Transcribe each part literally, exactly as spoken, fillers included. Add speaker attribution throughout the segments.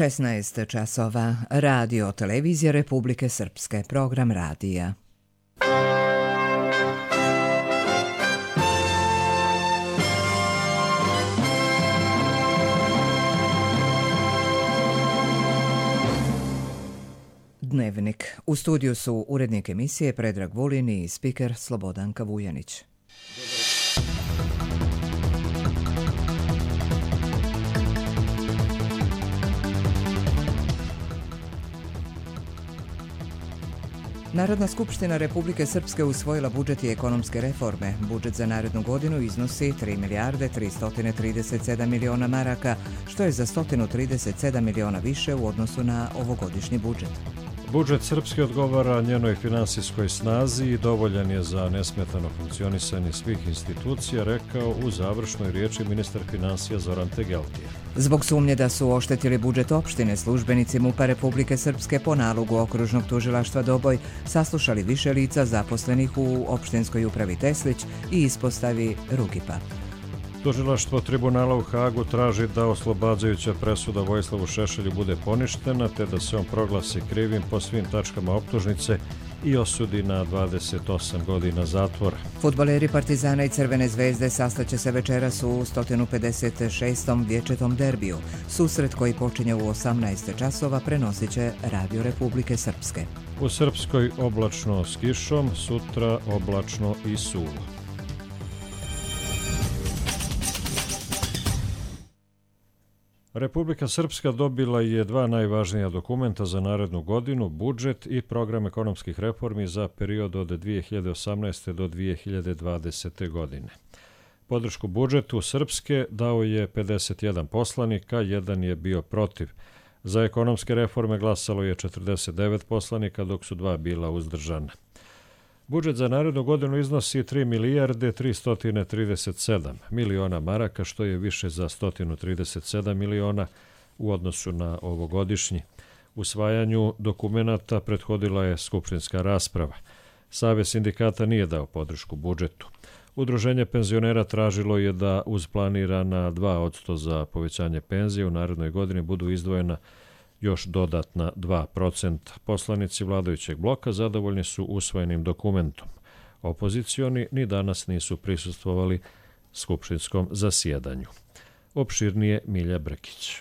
Speaker 1: šesnaest časova. Radio Televizija Republike Srpske. Program radija. Dnevnik. U studiju su urednik emisije Predrag Vulin i spiker Slobodanka Vujanić. Narodna skupština Republike Srpske usvojila budžet i ekonomske reforme. Budžet za narednu godinu iznosi tri milijarde tristo trideset sedam miliona maraka, što je za sto trideset sedam miliona više u odnosu na ovogodišnji budžet.
Speaker 2: Budžet Srpske odgovara njenoj finansijskoj snazi i dovoljan je za nesmetano funkcionisanje svih institucija, rekao u završnoj riječi ministar finansija Zoran Tegeltije.
Speaker 1: Zbog sumnje da su oštetili budžet opštine, službenici MUP-a Republike Srpske po nalogu okružnog tužilaštva Doboj saslušali više lica zaposlenih u opštinskoj upravi Teslić i ispostavi Rugipa.
Speaker 2: Tužilaštvo tribunala u Hagu traži da oslobađajuća presuda Vojislavu Šešelju bude poništena, te da se on proglasi krivim po svim tačkama optužnice i osudi na dvadeset osam godina zatvora.
Speaker 1: Fudbaleri Partizana i Crvene zvezde sastaće se večeras u sto pedeset šestom vječetom derbiju. Susret koji počinje u osamnaest časova prenosit će Radio Republike Srpske.
Speaker 2: U Srpskoj oblačno s kišom, sutra oblačno i suvo. Republika Srpska dobila je dva najvažnija dokumenta za narednu godinu, budžet i program ekonomskih reformi za period od dvije hiljade osamnaeste. do dvije hiljade dvadesete. godine. Podršku budžetu Srpske dao je pedeset jedan poslanika, jedan je bio protiv. Za ekonomske reforme glasalo je četrdeset devet poslanika, dok su dva bila uzdržana. Budžet za narednu godinu iznosi tri milijarde tristo trideset sedam miliona maraka, što je više za sto trideset sedam miliona u odnosu na ovogodišnji. Usvajanju dokumenata prethodila je skupštinska rasprava. Savez sindikata nije dao podršku budžetu. Udruženje penzionera tražilo je da uz planirana dva posto za povećanje penzije u narednoj godini budu izdvojena još dodatna dva procenta. Poslanici vladajućeg bloka zadovoljni su usvojenim dokumentom. Opozicioni ni danas nisu prisustvovali skupštinskom zasjedanju. Opširnije Milja Brkić.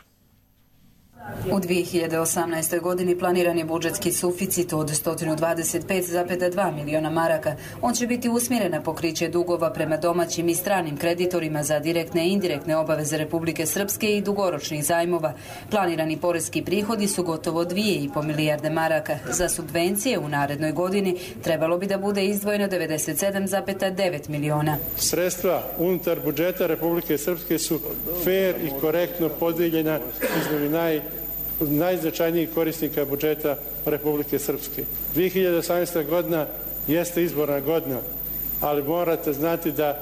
Speaker 3: U dvije hiljade osamnaestoj. godini planiran je budžetski suficit od sto dvadeset pet zarez dva miliona maraka. On će biti usmjeren na pokriće dugova prema domaćim i stranim kreditorima za direktne i indirektne obaveze Republike Srpske i dugoročnih zajmova. Planirani poreski prihodi su gotovo dvije i po milijarde maraka. Za subvencije u narednoj godini trebalo bi da bude izdvojeno devedeset sedam zarez devet miliona.
Speaker 4: Sredstva unutar budžeta Republike Srpske su fair i korektno podijeljena između naj najznačajnijih korisnika budžeta Republike Srpske. dvije hiljade osamnaesta. godina jeste izborna godina, ali morate znati da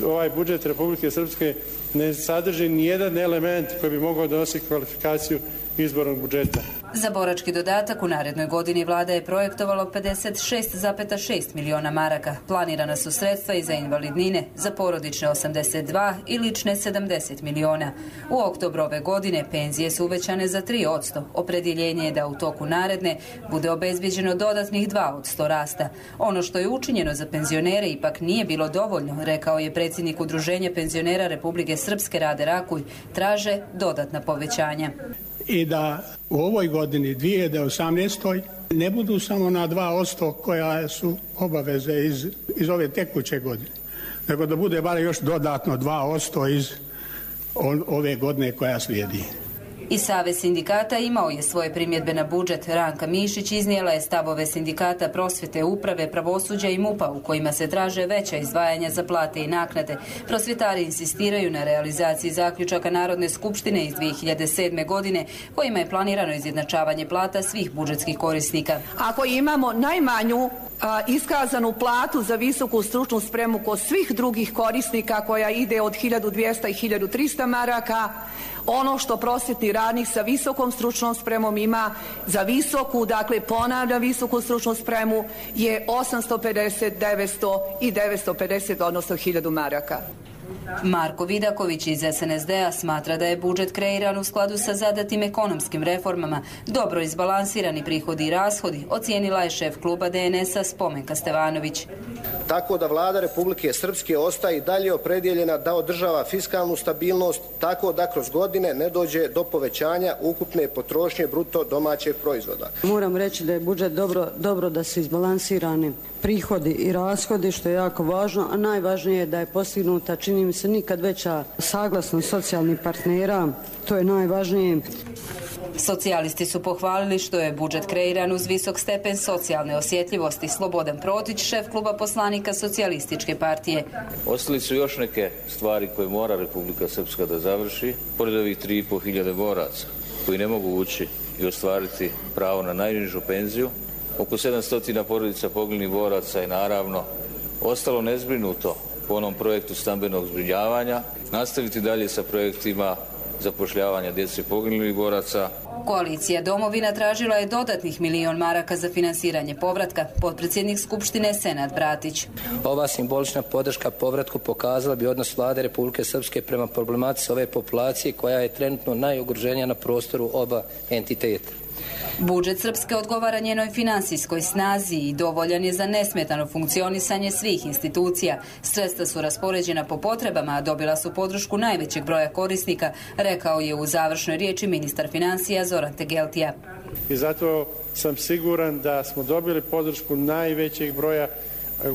Speaker 4: ovaj budžet Republike Srpske ne sadrži nijedan element koji bi mogao donositi kvalifikaciju izbornog budžeta.
Speaker 3: Za borački dodatak u narednoj godini vlada je projektovalo pedeset šest zarez šest miliona maraka. Planirana su sredstva i za invalidnine, za porodične osamdeset dva i lične sedamdeset miliona. U oktobru ove godine penzije su uvećane za tri posto. Opredjeljenje je da u toku naredne bude obezbijeđeno dodatnih dva posto rasta. Ono što je učinjeno za penzionere ipak nije bilo dovoljno, rekao je predsjednik Udruženja penzionera Republike Srpske Rade Rakulj. Traže dodatna povećanja.
Speaker 5: I da u ovoj godini, dvije hiljade osamnaestoj. ne budu samo na dva posto koja su obaveze iz, iz ove tekuće godine, nego da bude bar još dodatno dva posto iz ove godine koja slijedi.
Speaker 3: I Savez sindikata imao je svoje primjedbe na budžet. Ranka Mišić iznijela je stavove sindikata prosvjete, uprave, pravosuđa i MUP-a u kojima se traže veća izdvajanja za plate i naknade. Prosvjetari insistiraju na realizaciji zaključaka Narodne skupštine iz dvije hiljade sedme. godine kojima je planirano izjednačavanje plata svih budžetskih korisnika.
Speaker 6: Ako imamo najmanju a, iskazanu platu za visoku stručnu spremu kod svih drugih korisnika koja ide od hiljadu dvjesto i hiljadu tristo maraka, ono što prosvjetni radnik sa visokom stručnom spremom ima za visoku, dakle ponavlja visoku stručnu spremu, je osamsto pedeset, devetsto i devetsto pedeset, odnosno hiljadu maraka.
Speaker 3: Marko Vidaković iz S N S D-a smatra da je budžet kreiran u skladu sa zadatim ekonomskim reformama, dobro izbalansirani prihodi i rashodi, ocijenila je šef kluba D N S-a Spomenka Stevanović.
Speaker 7: Tako da vlada Republike Srpske ostaje i dalje opredjeljena da održava fiskalnu stabilnost, tako da kroz godine ne dođe do povećanja ukupne potrošnje bruto domaćeg proizvoda.
Speaker 8: Moram reći da je budžet dobro, dobro da su izbalansirani prihodi i rashodi, što je jako važno, a najvažnije je da je postignuta, čini mi se, nikad veća saglasnost socijalnih partnera, to je najvažnije.
Speaker 3: Socijalisti su pohvalili što je budžet kreiran uz visok stepen socijalne osjetljivosti. Slobodan Protić, šef kluba poslanika Socijalističke partije.
Speaker 9: Ostali su još neke stvari koje mora Republika Srpska da završi, pored ovih tri i po hiljade boraca koji ne mogu ući i ostvariti pravo na najnižu penziju. Oko sedamsto porodica poginulih boraca je naravno ostalo nezbrinuto po onom projektu stambenog zbrinjavanja, nastaviti dalje sa projektima zapošljavanja djece poginulih boraca.
Speaker 3: Koalicija Domovina tražila je dodatnih milion maraka za finansiranje povratka. Potpredsjednik Skupštine Senad Bratić.
Speaker 10: Ova simbolična podrška povratku pokazala bi odnos vlade Republike Srpske prema problematici ove populacije koja je trenutno najugroženija na prostoru oba entiteta.
Speaker 3: Budžet Srpske odgovara njenoj finansijskoj snazi i dovoljan je za nesmetano funkcionisanje svih institucija. Sredstva su raspoređena po potrebama, a dobila su podršku najvećeg broja korisnika, rekao je u završnoj riječi ministar financija Zoran Tegeltija.
Speaker 4: I zato sam siguran da smo dobili podršku najvećeg broja,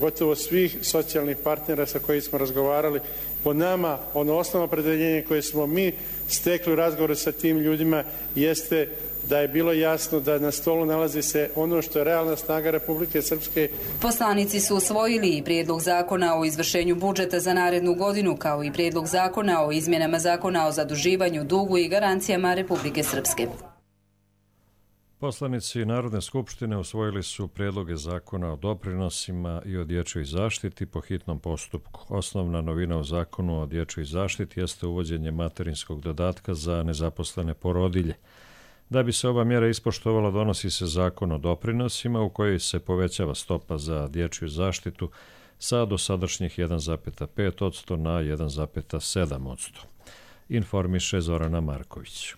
Speaker 4: gotovo svih socijalnih partnera sa kojih smo razgovarali. Po nama, ono osnovno opredeljenje koje smo mi stekli u razgovoru sa tim ljudima jeste da je bilo jasno da na stolu nalazi se ono što je realna snaga Republike Srpske.
Speaker 3: Poslanici su usvojili i prijedlog zakona o izvršenju budžeta za narednu godinu, kao i prijedlog zakona o izmjenama zakona o zaduživanju, dugu i garancijama Republike Srpske.
Speaker 2: Poslanici Narodne skupštine usvojili su prijedloge zakona o doprinosima i o dječjoj zaštiti po hitnom postupku. Osnovna novina u zakonu o dječjoj zaštiti jeste uvođenje materinskog dodatka za nezaposlene porodilje. Da bi se ova mjera ispoštovala, donosi se zakon o doprinosima u kojoj se povećava stopa za dječju zaštitu sa dosadašnjih jedan zarez pet posto na jedan zarez sedam posto. Informiše Zorana Marković.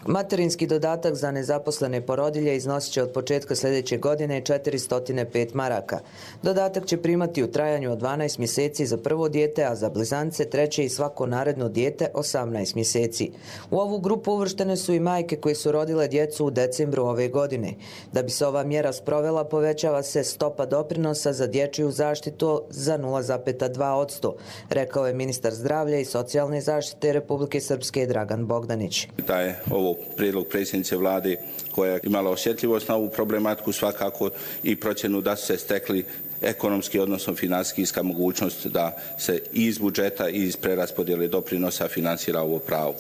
Speaker 11: Materinski dodatak za nezaposlene porodilje iznosit će od početka sljedeće godine četiristo pet maraka. Dodatak će primati u trajanju od dvanaest mjeseci za prvo dijete, a za blizance, treće i svako naredno dijete osamnaest mjeseci. U ovu grupu uvrštene su i majke koje su rodile djecu u decembru ove godine. Da bi se ova mjera sprovela, povećava se stopa doprinosa za dječju zaštitu za nula zarez dva posto, rekao je ministar zdravlja i socijalne zaštite Republike Srpske Dragan Bogdanić.
Speaker 12: Da je ovo prijedlog predsjednice vlade koja je imala osjetljivost na ovu problematiku, svakako i procjenu da su se stekli ekonomski, odnosno financijska mogućnost da se i iz budžeta i iz preraspodjele doprinosa financira ovo pravo.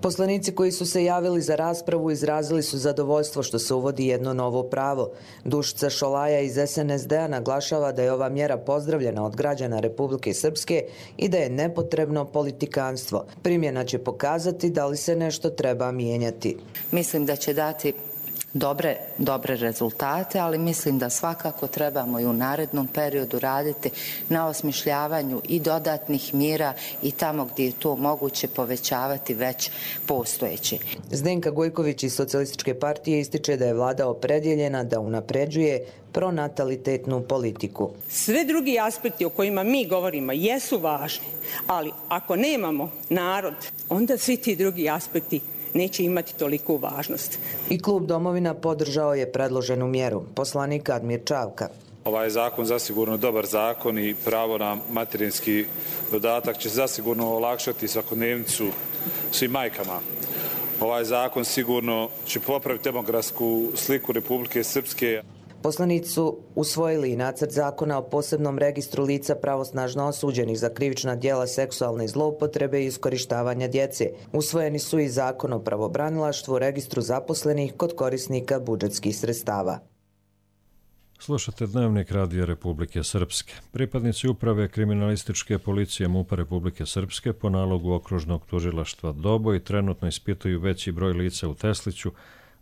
Speaker 11: Poslanici koji su se javili za raspravu izrazili su zadovoljstvo što se uvodi jedno novo pravo. Dušica Šolaja iz S N S D-a naglašava da je ova mjera pozdravljena od građana Republike Srpske i da je nepotrebno politikanstvo. Primjena će pokazati da li se nešto treba mijenjati.
Speaker 13: Mislim da će dati dobre, dobre rezultate, ali mislim da svakako trebamo i u narednom periodu raditi na osmišljavanju i dodatnih mjera i tamo gdje je to moguće povećavati već postojeće.
Speaker 11: Zdenka Gojković iz Socijalističke partije ističe da je vlada opredjeljena da unapređuje pronatalitetnu politiku.
Speaker 14: Sve drugi aspekti o kojima mi govorimo jesu važni, ali ako nemamo narod, onda svi ti drugi aspekti neće imati toliku važnost.
Speaker 11: I klub Domovina podržao je predloženu mjeru. Poslanik Admir Čavka.
Speaker 15: Ovaj zakon zasigurno dobar zakon i pravo na materinski dodatak će zasigurno olakšati svakodnevnicu svim majkama. Ovaj zakon sigurno će popraviti demografsku sliku Republike Srpske.
Speaker 11: Poslanici su usvojili i nacrt zakona o posebnom registru lica pravosnažno osuđenih za krivična djela seksualne zloupotrebe i iskorištavanja djece. Usvojeni su i zakon o pravobranilaštvu, registru zaposlenih kod korisnika budžetskih sredstava.
Speaker 2: Slušate Dnevnik Radija Republike Srpske. Pripadnici uprave kriminalističke policije MUP-a Republike Srpske po nalogu okružnog tužilaštva Doboj trenutno ispituju veći broj lica u Tesliću,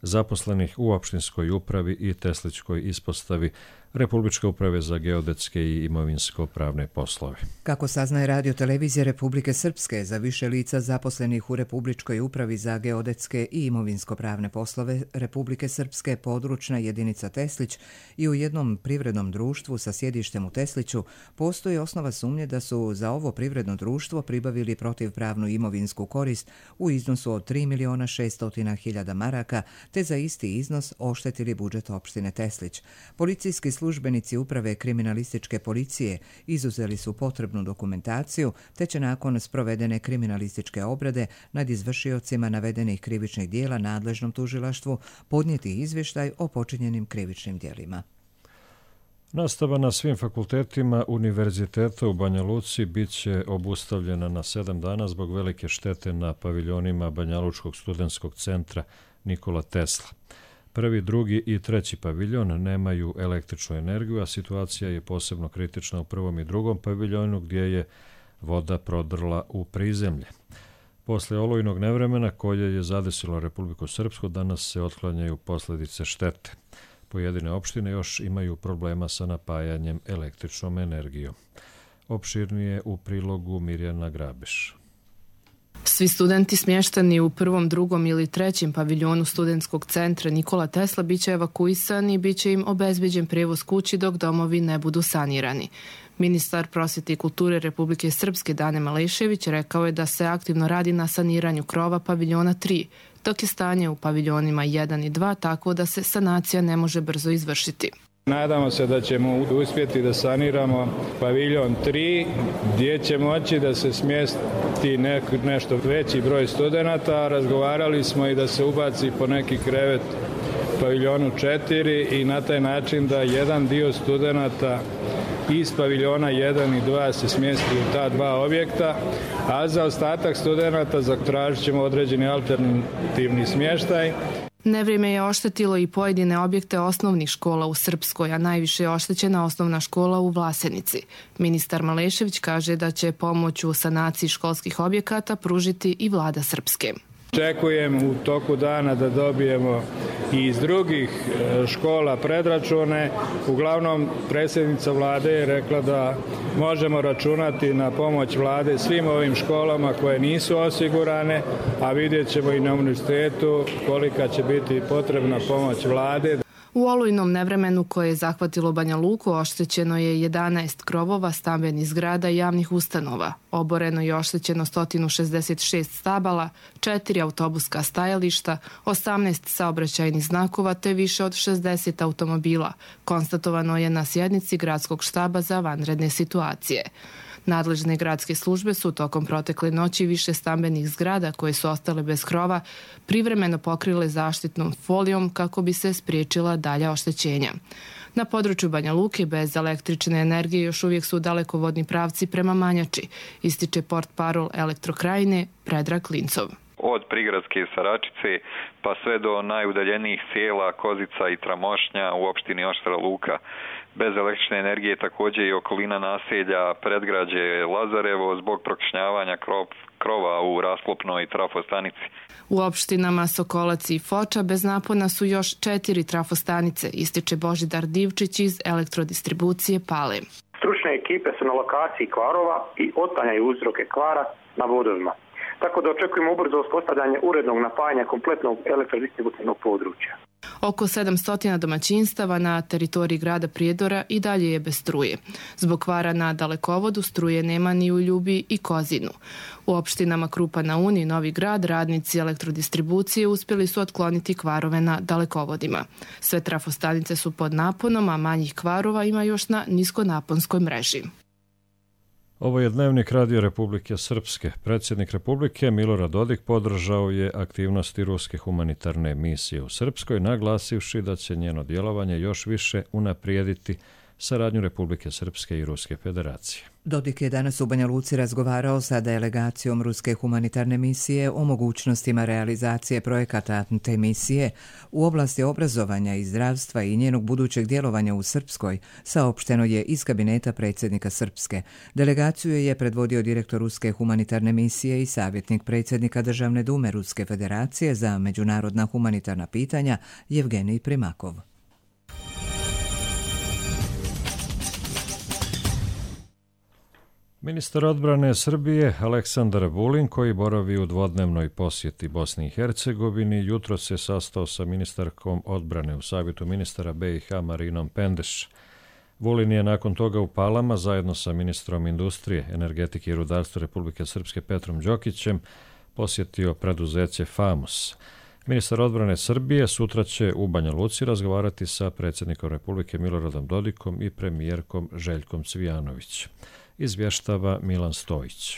Speaker 2: zaposlenih u opštinskoj upravi i Teslićkoj ispostavi, Republičke uprave za geodetske i imovinsko-pravne poslove.
Speaker 1: Kako saznaje Radio televizija Republike Srpske, za više lica zaposlenih u Republičkoj upravi za geodetske i imovinsko-pravne poslove Republike Srpske područna jedinica Teslić i u jednom privrednom društvu sa sjedištem u Tesliću postoji osnova sumnje da su za ovo privredno društvo pribavili protivpravnu imovinsku korist u iznosu od tri miliona šesto hiljada maraka, te za isti iznos oštetili budžet opštine Teslić. Policijski službenici uprave kriminalističke policije izuzeli su potrebnu dokumentaciju, te će nakon sprovedene kriminalističke obrade nad izvršiocima navedenih krivičnih dijela nadležnom tužilaštvu podnijeti izvještaj o počinjenim krivičnim dijelima.
Speaker 2: Nastava na svim fakultetima Univerziteta u Banja Luci bit će obustavljena na sedam dana zbog velike štete na paviljonima Banjalučkog studentskog centra Nikola Tesla. Prvi, drugi i treći paviljon nemaju električnu energiju, a situacija je posebno kritična u prvom i drugom paviljonu gdje je voda prodrla u prizemlje. Posle olujnog nevremena koje je zadesilo Republiku Srpsku, danas se otklanjaju posljedice štete. Pojedine opštine još imaju problema sa napajanjem električnom energijom. Opširnije u prilogu Mirjana Grabiš.
Speaker 16: Svi studenti smješteni u prvom, drugom ili trećem paviljonu studentskog centra Nikola Tesla biće evakuisani i biće im obezbeđen prijevoz kući dok domovi ne budu sanirani. Ministar prosvjete i kulture Republike Srpske Dane Malešević rekao je da se aktivno radi na saniranju krova paviljona tri, dok je stanje u paviljonima jedan i dva takvo da se sanacija ne može brzo izvršiti.
Speaker 17: Nadamo se da ćemo uspjeti da saniramo paviljon tri, gdje će moći da se smjesti nek, nešto veći broj studenata. Razgovarali smo i da se ubaci po neki krevet paviljonu četiri i na taj način da jedan dio studenata iz paviljona jedan i dva se smjesti u ta dva objekta, a za ostatak studenata zatražit ćemo određeni alternativni smještaj.
Speaker 16: Nevrijeme je oštetilo i pojedine objekte osnovnih škola u Srpskoj, a najviše je oštećena osnovna škola u Vlasenici. Ministar Malešević kaže da će pomoć u sanaciji školskih objekata pružiti i vlada Srpske.
Speaker 17: Očekujem u toku dana da dobijemo i iz drugih škola predračune. Uglavnom, predsjednica vlade je rekla da možemo računati na pomoć vlade svim ovim školama koje nisu osigurane, a vidjet ćemo i na univerzitetu kolika će biti potrebna pomoć vlade.
Speaker 16: U olujnom nevremenu koje je zahvatilo Banja Luku oštećeno je jedanaest krovova stambenih zgrada i javnih ustanova. Oboreno je oštećeno sto šezdeset šest stabala, četiri autobuska stajališta, osamnaest saobraćajnih znakova te više od šezdeset automobila. Konstatovano je na sjednici Gradskog štaba za vanredne situacije. Nadležne gradske službe su tokom protekle noći više stambenih zgrada koje su ostale bez krova privremeno pokrile zaštitnom folijom kako bi se spriječila dalja oštećenja. Na području Banja Luke bez električne energije još uvijek su dalekovodni pravci prema Manjači, ističe portparol Elektrokrajine Predrag Klincov.
Speaker 18: Od prigradske Saračice pa sve do najudaljenijih sela Kozica i Tramošnja u opštini Oštra Luka. Bez električne energije također i okolina naselja predgrađe Lazarevo zbog prokišnjavanja krov, krova u rasklopnoj trafostanici.
Speaker 16: U opštinama Sokolac i Foča bez napona su još četiri trafostanice, ističe Božidar Divčić iz elektrodistribucije Pale.
Speaker 19: Stručne ekipe su na lokaciji kvarova i otklanjaju uzroke kvara na vodovima. Tako da očekujemo ubrzo uspostavljanje urednog napajanja kompletnog elektrodistributivnog područja.
Speaker 16: Oko sedamsto domaćinstava na teritoriji grada Prijedora i dalje je bez struje. Zbog kvara na dalekovodu struje nema ni u Ljubi i Kozinu. U opštinama Krupa na Uni i Novi Grad radnici elektrodistribucije uspjeli su otkloniti kvarove na dalekovodima. Sve trafostanice su pod naponom, a manjih kvarova ima još na niskonaponskoj mreži.
Speaker 2: Ovo je Dnevnik Radio Republike Srpske. Predsjednik Republike Milorad Dodik podržao je aktivnosti ruske humanitarne misije u Srpskoj, naglasivši da će njeno djelovanje još više unaprijediti saradnju Republike Srpske i Ruske federacije.
Speaker 1: Dodik je danas u Banja Luci razgovarao sa delegacijom Ruske humanitarne misije o mogućnostima realizacije projekata te misije u oblasti obrazovanja i zdravstva i njenog budućeg djelovanja u Srpskoj, saopšteno je iz kabineta predsjednika Srpske. Delegaciju je predvodio direktor Ruske humanitarne misije i savjetnik predsjednika Državne dume Ruske federacije za međunarodna humanitarna pitanja Jevgenij Primakov.
Speaker 2: Ministar odbrane Srbije Aleksandar Vulin, koji boravi u dvodnevnoj posjeti Bosni i Hercegovini, jutro se sastao sa ministarkom odbrane u Savjetu ministara B i H Marinom Pendeš. Vulin je nakon toga u Palama zajedno sa ministrom industrije, energetike i rudarstva Republike Srpske Petrom Đokićem posjetio preduzeće FAMUS. Ministar odbrane Srbije sutra će u Banja Luci razgovarati sa predsjednikom Republike Miloradom Dodikom i premijerkom Željkom Cvijanović. Izvještava Milan Stojić.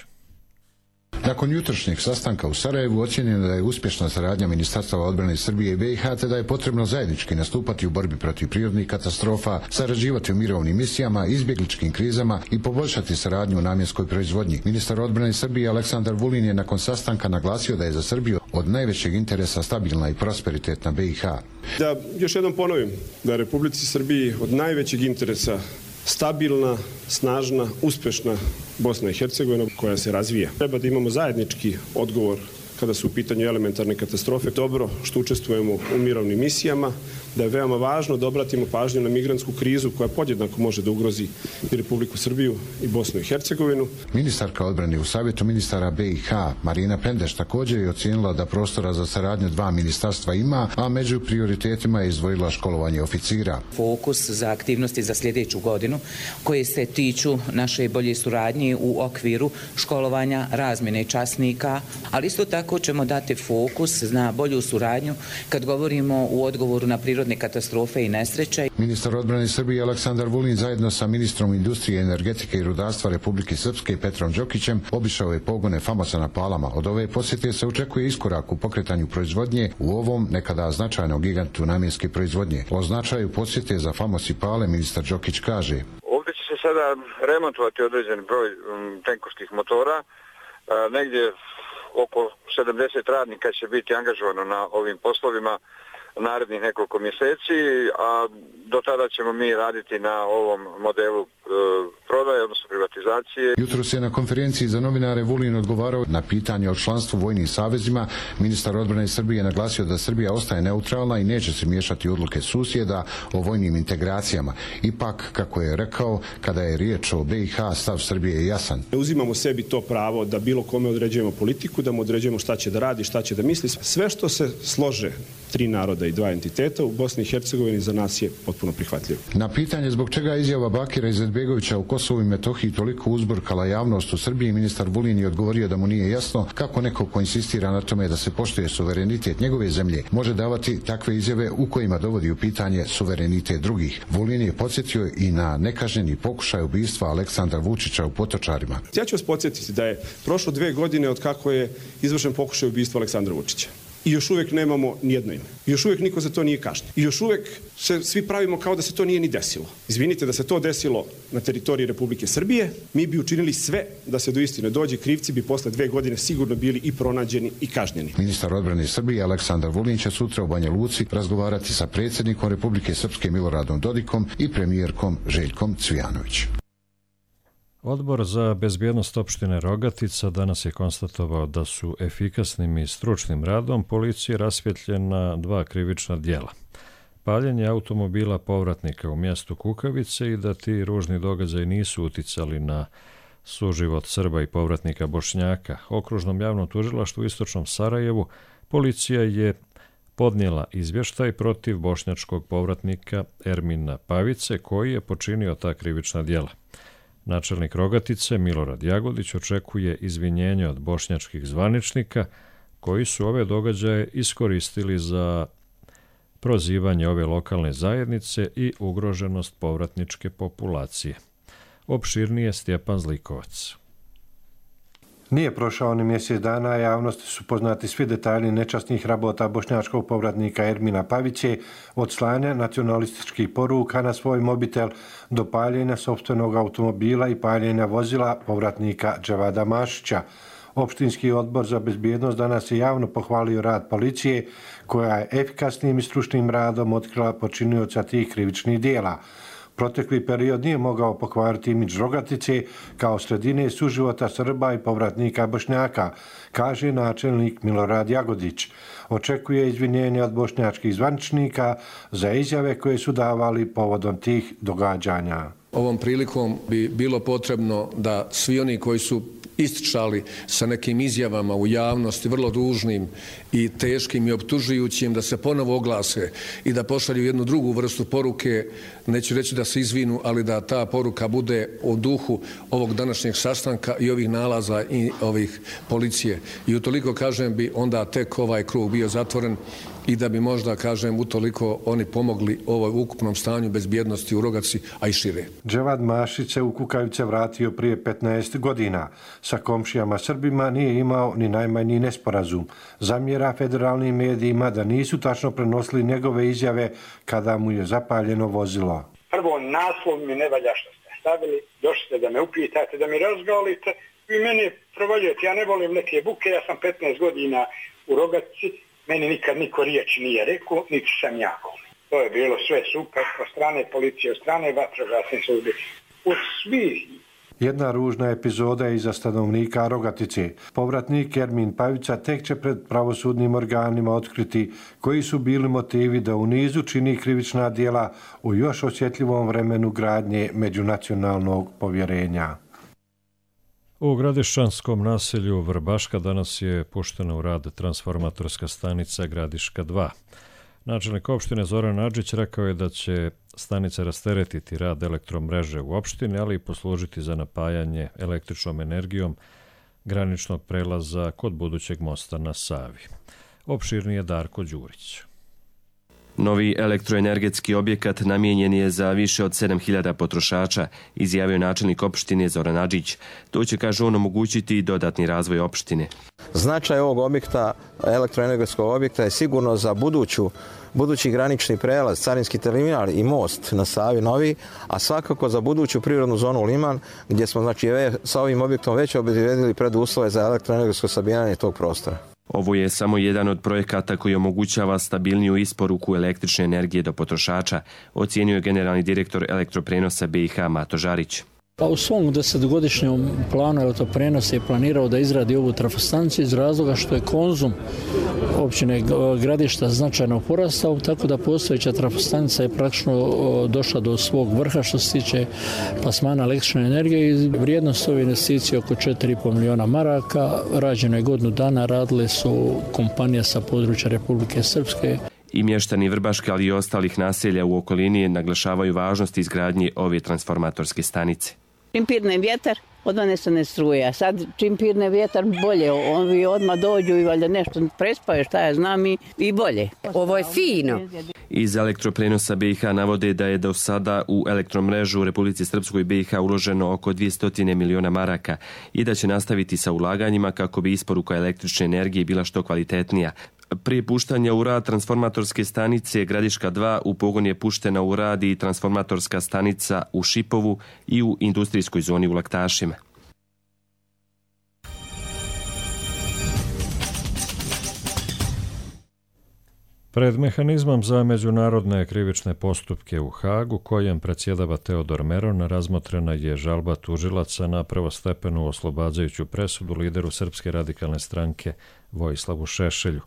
Speaker 20: Nakon jutrošnjeg sastanka u Sarajevu ocjenjeno da je uspješna saradnja Ministarstava odbrane Srbije i B i H, te da je potrebno zajednički nastupati u borbi protiv prirodnih katastrofa, sarađivati u mirovnim misijama, izbjegličkim krizama i poboljšati saradnju u namjenskoj proizvodnji. Ministar odbrane Srbije Aleksandar Vulin je nakon sastanka naglasio da je za Srbiju od najvećeg interesa stabilna i prosperitetna B i H.
Speaker 21: Da još jednom ponovim da je Republici Srbiji od najvećeg interesa stabilna, snažna, uspješna Bosna i Hercegovina koja se razvija. Treba da imamo zajednički odgovor kada su u pitanju elementarne katastrofe. Dobro što učestvujemo u mirovnim misijama, da je veoma važno da obratimo pažnju na migrantsku krizu koja podjednako može da ugrozi i Republiku Srbiju i Bosnu i Hercegovinu.
Speaker 20: Ministarka odbrane u Savjetu ministara B i H Marina Pendeš također je ocijenila da prostora za saradnju dva ministarstva ima, a među prioritetima je izdvojila školovanje oficira.
Speaker 22: Fokus za aktivnosti za sljedeću godinu koje se tiču naše bolje suradnje u okviru školovanja razmjene časnika, ali isto tako ćemo dati fokus na bolju suradnju kad govorimo u odgovoru na prirodne katastrofe i nesreće.
Speaker 20: Ministar odbrane Srbije Aleksandar Vulin zajedno sa ministrom industrije, energetike i rudarstva Republike Srpske Petrom Đokićem obišao je pogone FAMUS-a na Palama. Od ove posjete se očekuje iskorak u pokretanju proizvodnje u ovom nekada značajnom gigantu namjenske proizvodnje. O značaju posjete za FAMUS i Pale ministar Đokić kaže:
Speaker 23: Ovdje će se sada remontovati određen broj tenkovskih motora, negdje oko sedamdeset radnika će biti angažovano na ovim poslovima narednih nekoliko mjeseci, a do tada ćemo mi raditi na ovom modelu e, prodaje, odnosno privatizacije.
Speaker 20: Jutro se na konferenciji za novinare Vulin odgovarao na pitanje o članstvu vojnim savezima. Ministar odbrane Srbije naglasio da Srbija ostaje neutralna i neće se miješati u odluke susjeda o vojnim integracijama. Ipak, kako je rekao, kada je riječ o B i H, stav Srbije je jasan.
Speaker 21: Ne uzimamo sebi to pravo da bilo kome određujemo politiku, da mu određujemo šta će da radi, šta će da misli. Sve što se slože tri naroda i dva entiteta u Bosni i Hercegovini za nas je potpuno prihvatljivo.
Speaker 20: Na pitanje zbog čega izjava Bakira Izetbegovića u Kosovu i Metohiji toliko uzburkala javnost u Srbiji, ministar Vulin je odgovorio da mu nije jasno kako neko ko insistira na tome da se poštuje suverenitet njegove zemlje može davati takve izjave u kojima dovodi u pitanje suverenitet drugih. Vulin je podsjetio i na nekažnjeni pokušaj ubistva Aleksandra Vučića u Potočarima.
Speaker 21: Ja ću vas podsjetiti da je prošlo dve godine od kako je izvršen pokušaj ubistva Aleksandra Vučića. I još uvijek nemamo nijedno ime. I još uvijek niko za to nije kažnjen. I još uvijek se svi pravimo kao da se to nije ni desilo. Izvinite, da se to desilo na teritoriji Republike Srbije, mi bi učinili sve da se do istine dođe. Krivci bi posle dve godine sigurno bili i pronađeni i kažnjeni.
Speaker 20: Ministar odbrane Srbije Aleksandar Vulin će sutra u Banja Luci razgovarati sa predsjednikom Republike Srpske Miloradom Dodikom i premijerkom Željkom Cvijanović.
Speaker 2: Odbor za bezbjednost opštine Rogatica danas je konstatovao da su efikasnim i stručnim radom policije rasvjetljena dva krivična djela. Paljenje automobila povratnika u mjestu Kukavice i da ti ružni događaji nisu uticali na suživot Srba i povratnika Bošnjaka. Okružnom javnom tužilaštvu u istočnom Sarajevu policija je podnijela izvještaj protiv bošnjačkog povratnika Ermina Pavice koji je počinio ta krivična djela. Načelnik Rogatice Milorad Jagodić očekuje izvinjenje od bošnjačkih zvaničnika koji su ove događaje iskoristili za prozivanje ove lokalne zajednice i ugroženost povratničke populacije. Opširnije Stjepan Zlikovac.
Speaker 24: Nije prošao ni mjesec dana, a javnosti su poznati svi detalji nečasnih rabota bošnjačkog povratnika Ermina Paviće, od slanja nacionalističkih poruka na svoj mobitel do paljenja sopstvenog automobila i paljenja vozila povratnika Dževada Mašića. Opštinski odbor za bezbjednost danas je javno pohvalio rad policije, koja je efikasnim i stručnim radom otkrila počinioca tih krivičnih dijela. Protekli period nije mogao pokvariti imidž Rogatice kao sredine suživota Srba i povratnika Bošnjaka, kaže načelnik Milorad Jagodić. Očekuje izvinjenje od bošnjačkih zvaničnika za izjave koje su davali povodom tih događanja.
Speaker 5: Ovom prilikom bi bilo potrebno da svi oni koji su ističali sa nekim izjavama u javnosti vrlo ružnim i teškim i optužujućim da se ponovo oglase i da pošalju jednu drugu vrstu poruke, neću reći da se izvinu, ali da ta poruka bude u duhu ovog današnjeg sastanka i ovih nalaza i ovih policije. I utoliko, kažem, bi onda tek ovaj krug bio zatvoren i da bi možda, kažem, utoliko oni pomogli ovoj ukupnom stanju bezbjednosti u Rogaci, a i šire.
Speaker 24: Dževad Mašić se u Kukavice vratio prije petnaest godina. Sa komšijama Srbima nije imao ni najmanji nesporazum. Zamjera federalnim medijima da nisu tačno prenosili njegove izjave kada mu je zapaljeno vozilo.
Speaker 6: Prvo, naslov mi ne valja što ste stavili, došli da me upitate, da mi razgalite, vi meni provaljujete, ja ne volim neke buke, ja sam petnaest godina u Rogaci, meni nikad niko riječ nije rekao, niti sam jako. To je bilo sve super, od strane policije, od strane vatrogasne službe, od svih.
Speaker 24: Jedna ružna epizoda je iza stanovnika Rogatice. Povratnik Ermin Pavica tek će pred pravosudnim organima otkriti koji su bili motivi da u nizu čini krivična djela u još osjetljivom vremenu gradnje međunacionalnog povjerenja.
Speaker 2: U gradišćanskom naselju Vrbaška danas je puštena u rad transformatorska stanica Gradiška dva. Načelnik opštine Zoran Adžić rekao je da će stanica rasteretiti rad elektromreže u opštini, ali i poslužiti za napajanje električnom energijom graničnog prelaza kod budućeg mosta na Savi. Opširnije Darko Đurić.
Speaker 7: Novi elektroenergetski objekat namijenjen je za više od sedam hiljada potrošača, izjavio načelnik opštine Zoran Adžić. To će, kaže on, omogućiti i dodatni razvoj opštine.
Speaker 8: Značaj ovog objekta, elektroenergetskog objekta, je sigurno za buduću, budući granični prelaz, carinski terminal i most na Savi novi, a svakako za buduću prirodnu zonu Liman, gdje smo, znači, sa ovim objektom već obezbedili preduslove za elektroenergetsko sabijanje tog prostora.
Speaker 7: Ovo je samo jedan od projekata koji omogućava stabilniju isporuku električne energije do potrošača, ocijenio je generalni direktor Elektroprenosa B i H Mato Žarić.
Speaker 25: Pa u svom desetogodišnjem planu Elektroprenosa je planirao da izradi ovu trafostanciju iz razloga što je konzum općine Gradišta značajno porastao, tako da postojeća trafostanica je praktično došla do svog vrha što se tiče plasmana električne energije i vrijednost ove investicije oko četiri i pol miliona maraka. Rađeno je godinu dana, radile su kompanije sa područja Republike Srpske.
Speaker 7: I mještani Vrbaške, ali i ostalih naselja u okolini naglašavaju važnost izgradnje ove transformatorske stanice.
Speaker 26: Čim pirne vjetar, odvanestane struje, a sad čim pirne vjetar bolje, ovi odmah dođu i valjda nešto prespaju, šta ja znam, i, i bolje.
Speaker 27: Ovo je fino.
Speaker 7: Iz Elektroprenosa B i H navode da je do sada u elektromrežu u Republici Srpskoj B i H uloženo oko dvjesto miliona maraka i da će nastaviti sa ulaganjima kako bi isporuka električne energije bila što kvalitetnija. Prije puštanja u rad transformatorske stanice Gradiška dva u pogon je puštena u rad i transformatorska stanica u Šipovu i u industrijskoj zoni u Laktašima.
Speaker 2: Pred mehanizmom za međunarodne krivične postupke u Hagu, kojem predsjedava Teodor Meron, razmotrena je žalba tužilaca na prvostepenu oslobađajuću presudu lideru Srpske radikalne stranke Vojislavu Šešelju.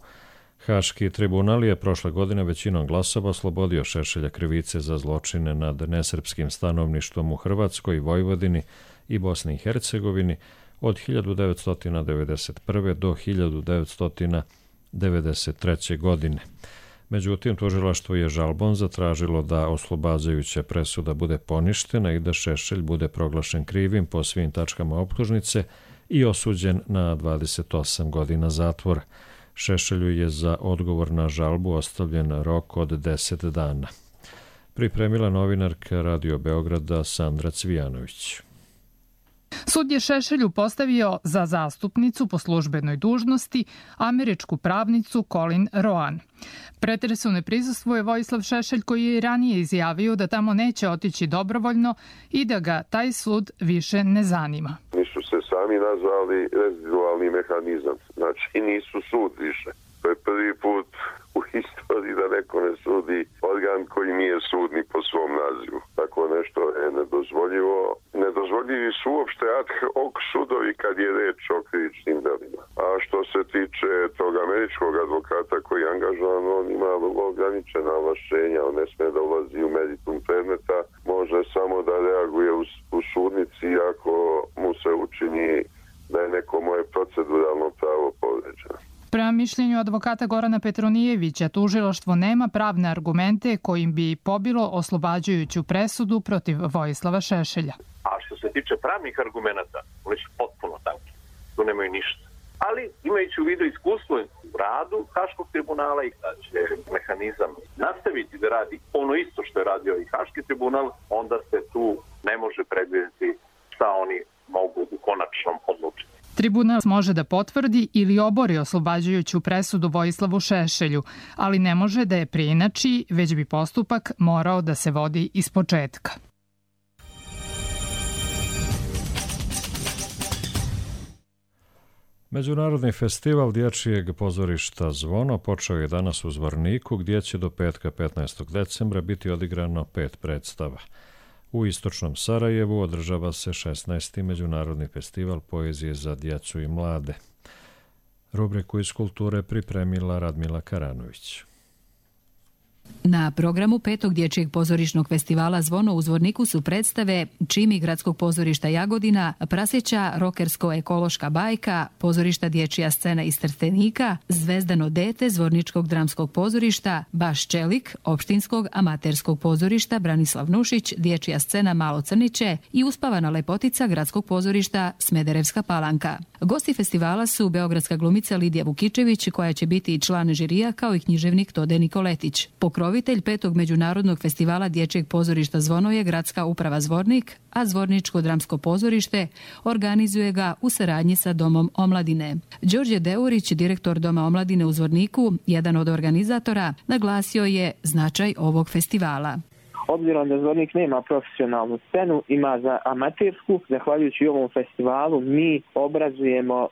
Speaker 2: Haški tribunal je prošle godine većinom glasova oslobodio Šešelja krivice za zločine nad nesrpskim stanovništvom u Hrvatskoj, Vojvodini i Bosni i Hercegovini od hiljadu devetsto devedeset prve. do hiljadu devetsto devedeset treće. godine. Međutim, tužilaštvo je žalbom zatražilo da oslobađajuća presuda bude poništena i da Šešelj bude proglašen krivim po svim tačkama optužnice i osuđen na dvadeset osam godina zatvora. Šešelju je za odgovor na žalbu ostavljen rok od deset dana. Pripremila novinarka Radio Beograda Sandra Cvijanović.
Speaker 28: Sud je Šešelju postavio za zastupnicu po službenoj dužnosti američku pravnicu Colin Roan. Pretresu ne prisustvuje Vojislav Šešelj, koji je ranije izjavio da tamo neće otići dobrovoljno i da ga taj sud više ne zanima.
Speaker 29: Nisu se sami nazvali rezidualni mehanizam, znači nisu sud više. To je prvi put u istoriji da neko ne sudi organ koji nije sud ni po svom nazivu. Tako nešto je nedozvoljivo. Nedozvoljivi su uopšte ad hoc sudovi kad je reč o krivičnim delima. A što se tiče tog američkog advokata koji je angažovan, on ima vrlo ograničena ovlašćenja, on ne sme da ulazi u meritum predmeta, može samo da reaguje u, u sudnici ako mu se učini da je neko moje proceduralno pravo povređeno.
Speaker 28: Prema mišljenju advokata Gorana Petronijevića, tužilaštvo nema pravne argumente kojim bi pobilo oslobađajuću presudu protiv Vojislava Šešelja.
Speaker 3: A što se tiče pravnih argumenata, oni su potpuno tanki. Tu nemaju ništa. Ali, imajući u vidu iskustvo u radu Haškog tribunala i da će mehanizam nastaviti da radi ono isto što je radio i Haški tribunal, onda se tu ne može predvidjeti šta oni mogu u konačnom odlučiti.
Speaker 28: Tribunal može da potvrdi ili obori oslobađajuću presudu Vojislavu Šešelju, ali ne može da je preinači, već bi postupak morao da se vodi iz početka.
Speaker 2: Međunarodni festival dječjeg pozorišta Zvono počeo je danas u Zvorniku, gdje će do petka petnaestog decembra biti odigrano pet predstava. U istočnom Sarajevu održava se šesnaesti Međunarodni festival poezije za djecu i mlade. Rubriku iz kulture pripremila Radmila Karanović.
Speaker 4: Na programu petog dječjeg pozorišnog festivala Zvono u Zvorniku su predstave Čimi gradskog pozorišta Jagodina, Praseća rokersko-ekološka bajka, pozorišta Dječja scena iz Trstenika, Zvezdano dete Zvorničkog dramskog pozorišta, Baš Čelik, opštinskog amaterskog pozorišta Branislav Nušić, Dječja scena Malo Crniće i Uspavana lepotica gradskog pozorišta Smederevska Palanka. Gosti festivala su beogradska glumica Lidija Vukičević, koja će biti i član žirija, kao i književnik Tode Nikoletić. Pokrovitelj petog Međunarodnog festivala dječjeg pozorišta Zvono je Gradska uprava Zvornik, a Zvorničko dramsko pozorište organizuje ga u saradnji sa Domom omladine. Đorđe Deurić, direktor Doma omladine u Zvorniku, jedan od organizatora, naglasio je značaj ovog festivala.
Speaker 9: Obzirom da Zvornik nema profesionalnu scenu, ima za amatersku, zahvaljujući ovom festivalu mi obrazujemo uh,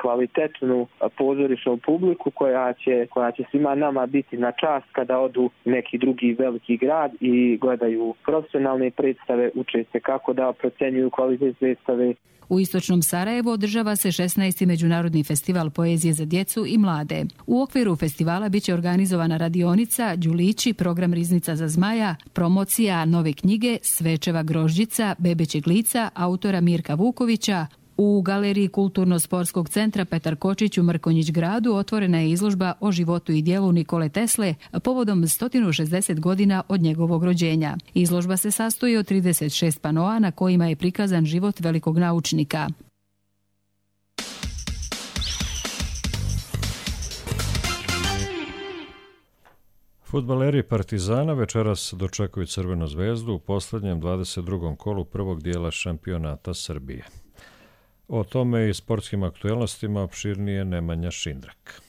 Speaker 9: kvalitetnu pozorišnu publiku koja će, koja će svima nama biti na čast kada odu neki drugi veliki grad i gledaju profesionalne predstave, uče se kako da procenjuju kvalitet predstave.
Speaker 4: U istočnom Sarajevu održava se šesnaesti Međunarodni festival poezije za djecu i mlade. U okviru festivala biće organizovana radionica, đulići, program Riznica za zmaja, promocija nove knjige Svečeva grožđica, Bebećeg lica, autora Mirka Vukovića. U galeriji Kulturno-sportskog centra Petar Kočić u Mrkonjić gradu otvorena je izložba o životu i djelu Nikole Tesle povodom sto šezdeset godina od njegovog rođenja. Izložba se sastoji od trideset šest panoa na kojima je prikazan život velikog naučnika.
Speaker 2: Fudbaleri Partizana večeras dočekuju Crvenu zvezdu u posljednjem dvadeset drugom kolu prvog dijela šampionata Srbije. O tome i sportskim aktuelnostima opširnije Nemanja Šindrak.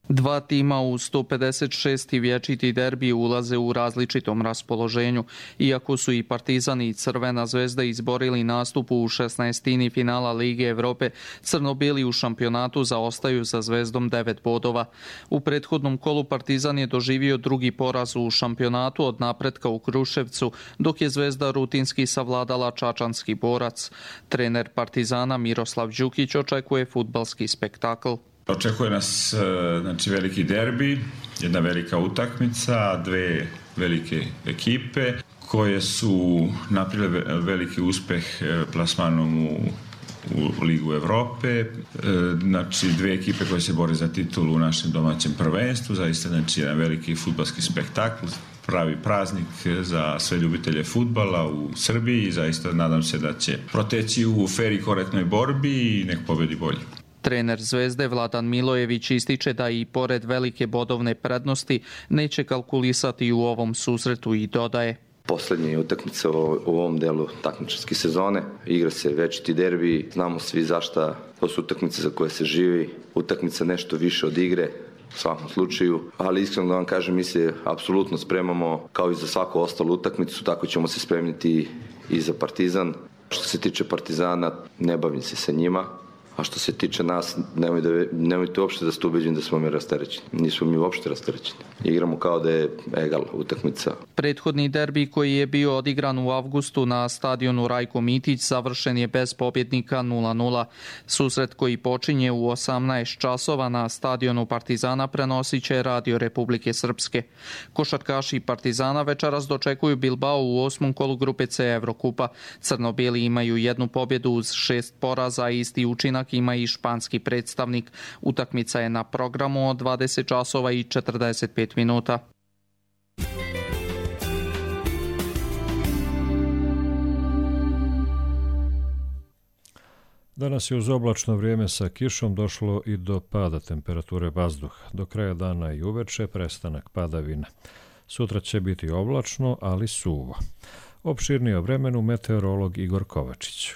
Speaker 10: Dva tima u sto pedeset šesti vječiti derbi ulaze u različitom raspoloženju. Iako su i Partizan i Crvena zvezda izborili nastup u šesnaestini finala Lige Evrope, crno-bijeli u šampionatu zaostaju za Zvezdom devet bodova. U prethodnom kolu Partizan je doživio drugi poraz u šampionatu od napretka u Kruševcu, dok je Zvezda rutinski savladala čačanski borac. Trener Partizana Miroslav Đukić očekuje fudbalski spektakl.
Speaker 12: Očekuje nas znači, veliki derbi, jedna velika utakmica, dve velike ekipe koje su napravile veliki uspeh plasmanom u, u Ligu Evrope. Znači, dve ekipe koje se bore za titulu u našem domaćem prvenstvu, zaista znači, jedan veliki fudbalski spektakl, pravi praznik za sve ljubitelje fudbala u Srbiji i zaista nadam se da će proteći u fer i korektnoj borbi i nek pobedi bolji.
Speaker 10: Trener Zvezde Vladan Milojević ističe da i pored velike bodovne prednosti neće kalkulisati u ovom susretu i dodaje.
Speaker 13: Posljednja utakmica u ovom delu takmičarske sezone. Igra se večiti derbi, znamo svi zašta, to su utakmice za koje se živi, utakmica nešto više od igre, u svakom slučaju, ali iskreno da vam kažem, mi se apsolutno spremamo kao i za svaku ostalu utakmicu, tako ćemo se spremiti i za Partizan. Što se tiče Partizana, ne bavim se sa njima. A što se tiče nas, nemoj da, nemojte uopšte da ste ubeđeni da smo mi rasterećeni. Nismo mi uopšte rasterećeni. igramo kao da je egal utakmica.
Speaker 10: Prethodni derbi koji je bio odigran u avgustu na stadionu Rajko Mitić završen je bez pobjednika nula nula. Susret koji počinje u osamnaest časova na stadionu Partizana prenosit će Radio Republike Srpske. Košarkaši Partizana večeras dočekuju Bilbao u osmom kolu grupe C Evrokupa. Crno-bijeli imaju jednu pobjedu uz šest poraza, isti učinak ima i španski predstavnik. Utakmica je na programu od dvadeset časova i četrdeset pet minuta.
Speaker 2: Danas je uz oblačno vrijeme sa kišom došlo i do pada temperature vazduha. Do kraja dana i uveče prestanak padavina. Sutra će biti oblačno, ali suvo. Opširnije o vremenu meteorolog Igor Kovačić.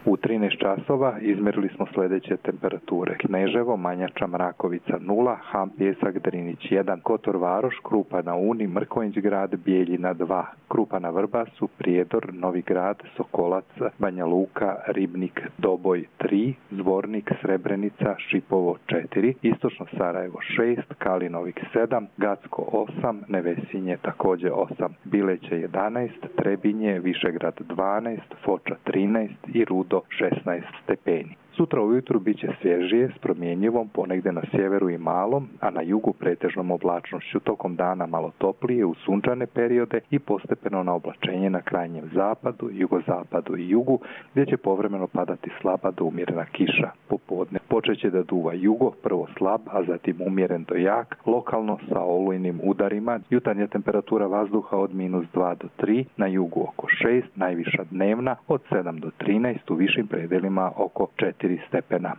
Speaker 1: U trinaest časova izmerili smo sljedeće temperature. Kneževo, Manjača, Mrakovica nula, Ham, Pjesak, Drinić jedan, Kotor Varoš, Krupa na Uni, Mrkonjić grad, Bijeljina dva, Krupa na Vrbasu, Prijedor, Novi grad, Sokolac, Banja Luka, Ribnik, Doboj tri, Zvornik, Srebrenica, Šipovo četiri, Istočno Sarajevo šest, Kalinovik sedam, Gacko osam, Nevesinje također osam, Bileće jedanaest, Trebinje, Višegrad dvanaest, Foča trinaest i Rudo šesnaest stepeni. Sutra ujutru bit će svježije s promjenjivom, ponegdje na sjeveru i malom, a na jugu pretežnom oblačnošću. Tokom dana malo toplije u sunčane periode i postepeno na oblačenje na krajnjem zapadu, jugozapadu i jugu, gdje će povremeno padati slaba do umjerena kiša. Popodne počet će da duva jugo, prvo slab, a zatim umjeren do jak, lokalno sa olujnim udarima. Jutarnja temperatura vazduha od minus dva do tri, na jugu oko šest, najviša dnevna od sedam do trinaest, u višim predelima oko četiri stepena.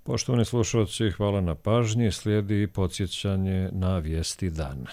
Speaker 2: Poštovani slušalci, hvala na pažnji. Slijedi podsjećanje na vijesti dana.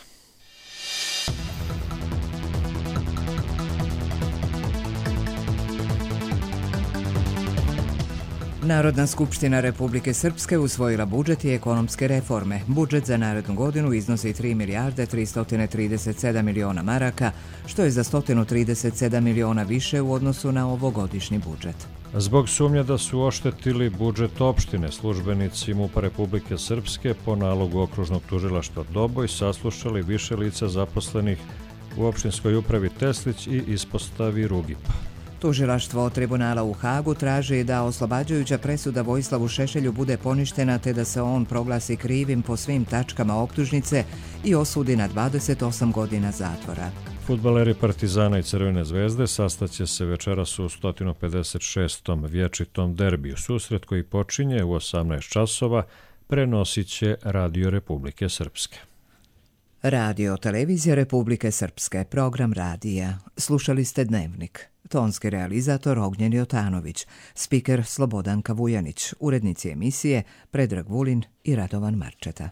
Speaker 11: Narodna skupština Republike Srpske usvojila budžet i ekonomske reforme. Budžet za narednu godinu iznosi tri milijarde tristo trideset sedam miliona maraka, što je za sto trideset sedam miliona više u odnosu na ovogodišnji budžet.
Speaker 2: Zbog sumnje da su oštetili budžet opštine, službenici MUP-a Republike Srpske po nalogu okružnog tužilaštva Doboj saslušali više lica zaposlenih u opštinskoj upravi Teslić i ispostavi Rugipa.
Speaker 11: Tužilaštvo tribunala u Hagu traži da oslobađajuća presuda Vojislavu Šešelju bude poništena te da se on proglasi krivim po svim tačkama optužnice i osudi na dvadeset osam godina zatvora.
Speaker 2: Fudbaleri Partizana i Crvene zvezde sastaće se večeras u sto pedeset šestom vječitom derbiju. Susret koji počinje u osamnaest časova prenosit će Radio Republike Srpske.
Speaker 11: Radio Televizija Republike Srpske, program radija. Slušali ste Dnevnik. Tonski realizator Ognjen Jotanović, spiker Slobodanka Vujanić, urednici emisije Predrag Vulin i Radovan Marčeta.